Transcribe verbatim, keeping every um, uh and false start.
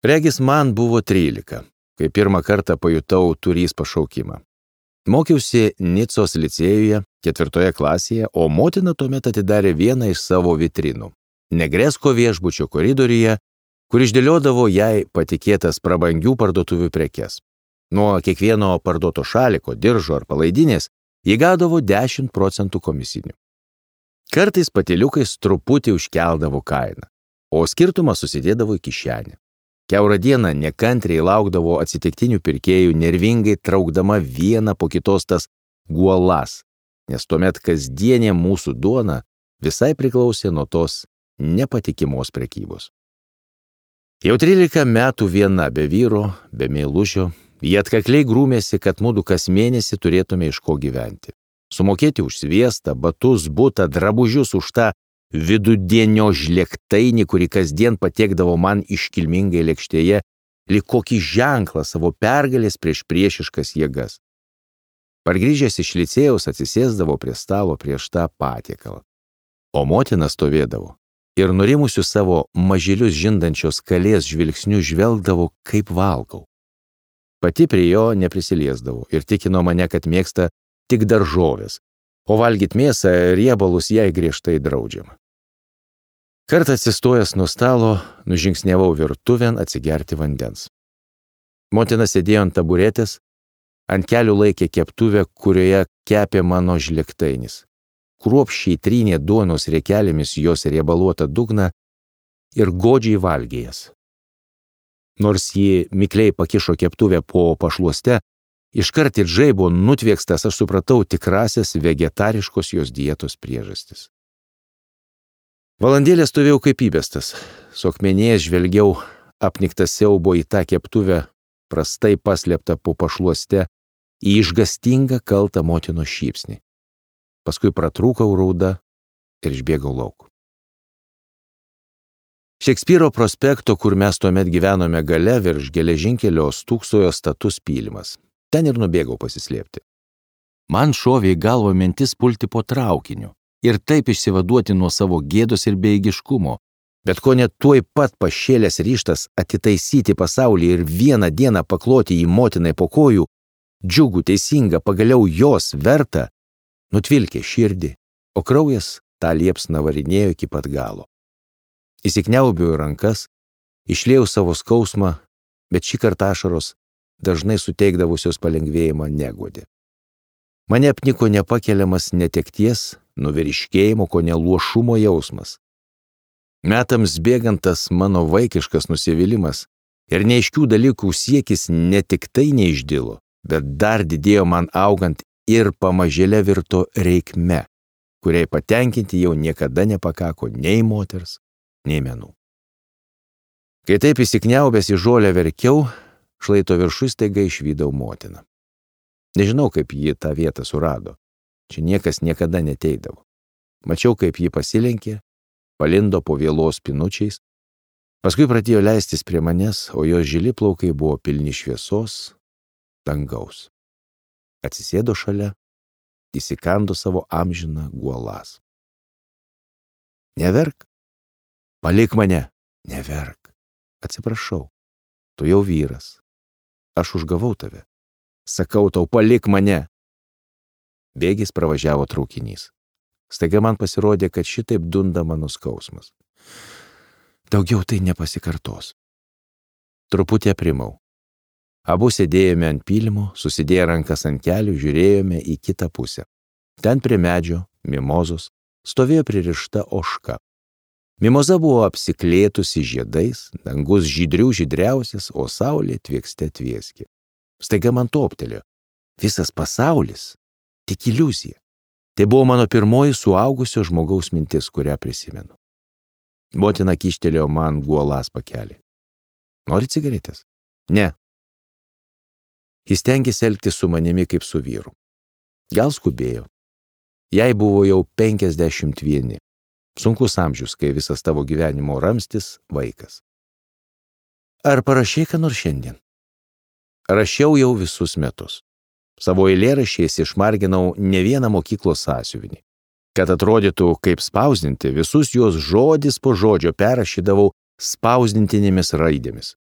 Regis man buvo trylika, kai pirmą kartą pajutau turys pašaukimą. Mokiausi Nicos licėjuje, ketvirtoje klasėje, o motina tuomet atidarė vieną iš savo vitrinų. Negresko viešbučio koridoriuje, kur išdėliodavo jai patikėtas prabangių parduotuvių prekes. Nuo kiekvieno parduoto šaliko, diržo ar palaidinės jie gaudavo dešimt procentų komisinių. Kartais patiliukais truputį užkeldavo kainą, o skirtumą susidėdavo į kišenę. Kiaurą dieną nekantriai laukdavo atsitiktinių pirkėjų, nervingai traukdama vieną po kitos tas guolas, nes tuomet kasdienė mūsų duona visai priklausė nuo tos nepatikimos prekybos. Jau trylika metų viena be vyro, be meilužio, jie atkakliai grūmėsi, kad mudu kas mėnesį turėtume iš ko gyventi. Sumokėti už sviestą, batus, butą, drabužius, už tą vidudienio žlėktainį, kurį kasdien patiekdavo man iškilmingai lėkštėje, lyg kokį ženklą savo pergalės prieš priešiškas jėgas. Pargrįžęs iš licėjaus atsisėsdavo prie stalo prieš tą patiekalą. O motina stovėdavo ir nurimusių savo mažylius žindančios kalės žvilgsnių žvelgdavo, kaip valgau. Pati prie jo neprisiliesdavo ir tikino mane, kad mėgsta tik daržovės, o valgyti mėsą ir riebalus jai griežtai draudžiama. Kartą atsistojęs nuo stalo, nužingsniavau virtuvėn atsigerti vandens. Motina sėdėjo ant taburetės, ant kelių laikė keptuvę, kurioje kepė mano žlėktainis. Kruopščiai trynė duonos riekelėmis jos riebaluotą dugną ir godžiai valgė jas. Nors ji mikliai pakišo keptuvę po pašluoste, iškart ir žaibo nutviekstas aš supratau tikrasias vegetariškos jos dietos priežastis. Valandėlę stovėjau kaip įbestas, suakmenėjęs žvelgiau apniktas siaubo į tą keptuvę, prastai paslėptą po pašluoste, į išgastingą kaltą motinos šypsnį. Paskui pratrūkau rauda ir išbėgau lauk. Šekspyro prospekto, kur mes tuomet gyvenome gale, virš geležinkelio stūksojo status pylimas. Ten ir nubėgau pasislėpti. Man šovė į galvą mintis pulti po traukiniu ir taip išsivaduoti nuo savo gėdos ir bejėgiškumo, bet ko net tuoj pat pašėlęs ryžtas atitaisyti pasaulį ir vieną dieną pakloti į motinai po kojų, džiugų, teisingą, pagaliau jos vertą, nutvilkė širdį, o kraujas tą liepsną varinėjo iki pat galo. Įsikniaubiau į rankas, išliejau savo skausmą, bet šį kartą ašaros dažnai suteikdavusios palengvėjimą neguodė. Mane apniko nepakeliamas netekties, nuvyriškėjimo, ko ne luošumo jausmas. Metams bėgantas mano vaikiškas nusivylimas ir neaiškių dalykų siekis ne tik tai neišdilo, bet dar didėjo man augant ir pamažėle virto reikme, kuriai patenkinti jau niekada nepakako nei moters, nei menų. Kai taip įsikniaubęs į žolę verkiau, šlaito viršus staiga išvydau motiną. Nežinau, kaip ji tą vietą surado. Čia niekas niekada neteidavo. Mačiau, kaip ji pasilenkė, palindo po vielos pinučiais, paskui pradėjo leistis prie manęs, o jos žili plaukai buvo pilni šviesos, dangaus. Atsisėdo šalia, įsikando savo amžiną guolas. Neverk, palik mane, neverk, atsiprašau, tu jau vyras, aš užgavau tave, sakau tau, palik mane. Bėgiais pravažiavo traukinys. Staiga man pasirodė, kad šitaip dunda mano skausmas. Daugiau tai nepasikartos. Truputį aprimau. Abu sėdėjome ant pylimo, susidėję rankas ant kelių, žiūrėjome į kitą pusę. Ten prie medžio, mimozos, stovėjo pririšta ožka. Mimoza buvo apsiklėtusi žiedais, dangus žydrių žydriausias, o saulė tviekste tvieskė. Staiga man toptelėjo. Visas pasaulis tik iliuzija. Tai buvo mano pirmoji suaugusio žmogaus mintis, kurią prisimenu. Motina kyštelėjo man guolas pakelį. Nori cigaretės? Ne. Jis stengėsi elgtis su manimi kaip su vyru. Gal skubėjo. Jai buvo jau penkiasdešimt vieni. Sunkus amžius, kai visas tavo gyvenimo ramstis vaikas. Ar parašei ką nors šiandien? Rašiau jau visus metus. Savo eilėraščiais išmarginau ne vieną mokyklos sąsiuvinį. Kad atrodytų kaip spausdinti, visus juos žodis po žodžio perrašydavau spausdintinėmis raidėmis.